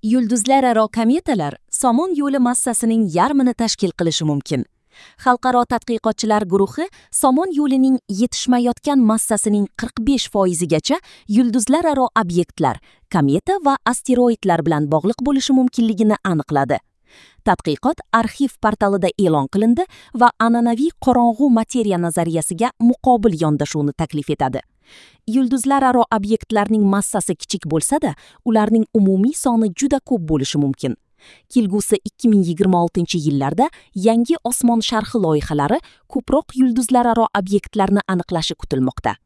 Yulduzlararo kometalar Somon yo'li massasining yarmini tashkil qilishi mumkin. Xalqaro tadqiqotchilar guruhi Somon yo'lining yetishmayotgan massasining 45% gacha yulduzlararo obyektlar, kometa va asteroidlar bilan bog'liq bo'lishi mumkinligini aniqladi. Tadqiqot arXiv portalida e'lon qilindi va an'anaviy qorong'u materiya nazariyasiga muqobil yondashuvni taklif etadi. Yulduzlararo obyektlarning massasi kichik bo'lsa-da, ularning umumiy soni juda ko'p bo'lishi mumkin. Kelgusi 2026-yillarda yangi osmon sharhi loyihalari ko'proq yulduzlararo obyektlarni aniqlashi kutilmoqda.